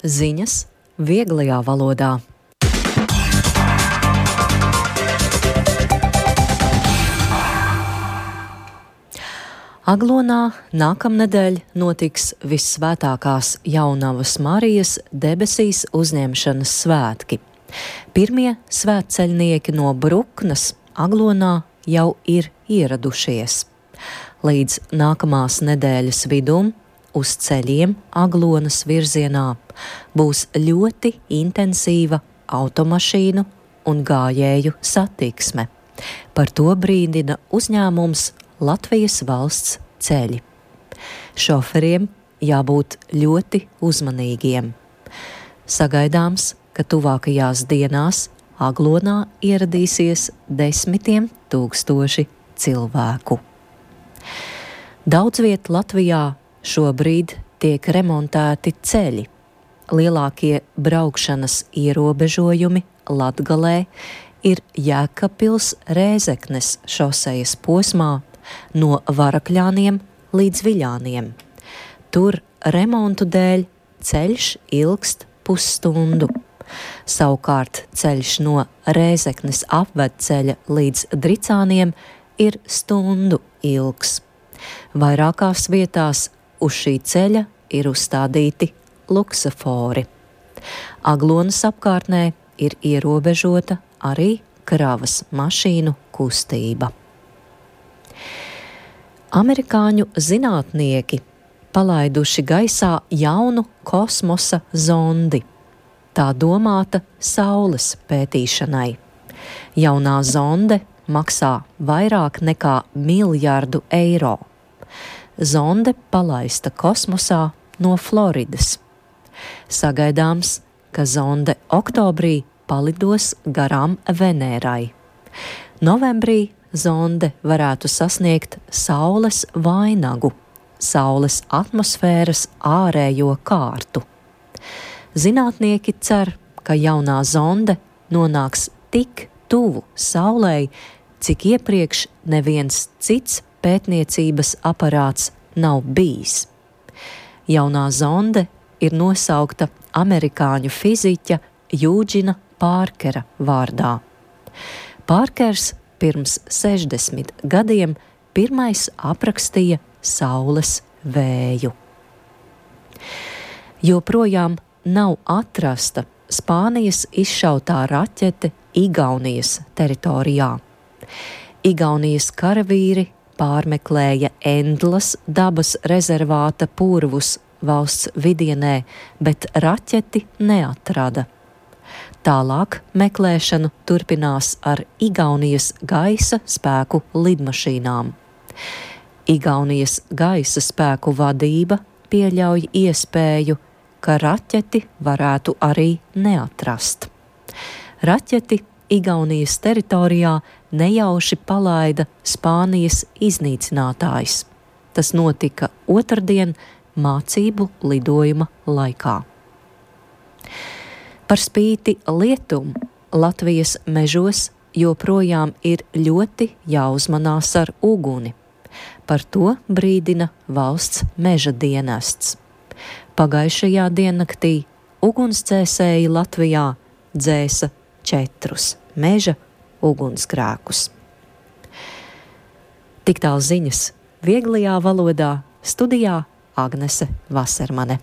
Ziņas vieglajā valodā. Aglonā nākamnedēļ notiks Vissvētākās Jaunavas Marijas debesīs uzņemšanas svētki. Pirmie svētceļnieki no Bruknes Aglonā jau ir ieradušies. Līdz nākamās nedēļas vidum uz ceļiem Aglonas virzienā būs ļoti intensīva automašīnu un gājēju satiksme. Par to brīdina uzņēmums Latvijas valsts ceļi. Šoferiem jābūt ļoti uzmanīgiem. Sagaidāms, ka tuvākajās dienās Aglonā ieradīsies 10 000 cilvēku. Daudz viet Latvijā šobrīd tiek remontēti ceļi. Lielākie braukšanas ierobežojumi Latgalē ir Jēkabpils Rēzeknes šosejas posmā no Varakļāniem līdz Viļāniem. Tur remontu dēļ ceļš ilgst pusstundu. Savukārt ceļš no Rēzeknes apvedceļa līdz Dricāniem ir stundu ilgs. Vairākās vietās uz šī ceļa ir uzstādīti luksafori. Aglonas apkārtnē ir ierobežota arī kravas mašīnu kustība. Amerikāņu zinātnieki palaiduši gaisā jaunu kosmosa zondi. Tā domāta Saules pētīšanai. Jaunā zonde maksā vairāk nekā $1 000 000. Zonde palaista kosmosā no Floridas. Sagaidāms, ka zonde oktobrī palidos garām Venērai. Novembrī zonde varētu sasniegt Saules vainagu, Saules atmosfēras ārējo kārtu. Zinātnieki cer, ka jaunā zonde nonāks tik tuvu Saulei, cik iepriekš neviens cits pētniecības aparāts nav bijis. Jaunā zonde ir nosaukta amerikāņu fiziķa Jūģina Pārkera vārdā. Pārkers pirms 60 gadiem pirmais aprakstīja Saules vēju. Joprojām nav atrasta Spānijas izšautā raķete Igaunijas teritorijā. Igaunijas karavīri pārmeklēja Endlas dabas rezervāta purvus valsts vidienē, bet raķeti neatrada. Tālāk meklēšanu turpinās ar Igaunijas gaisa spēku lidmašīnām. Igaunijas gaisa spēku vadība pieļauj iespēju, ka raķeti varētu arī neatrast. Raķeti Igaunijas teritorijā nejauši palaida Spānijas iznīcinātājs. Tas notika otrdien mācību lidojuma laikā. Par spīti lietum Latvijas mežos joprojām ir ļoti jāuzmanās ar uguni. Par to brīdina valsts meža dienests. Pagājušajā diennaktī ugunsdzēsēji Latvijā dzēsa 4 meža ugunsgrēkus. Tik tālu ziņas vieglajā valodā, studijā Agnese Vasermane.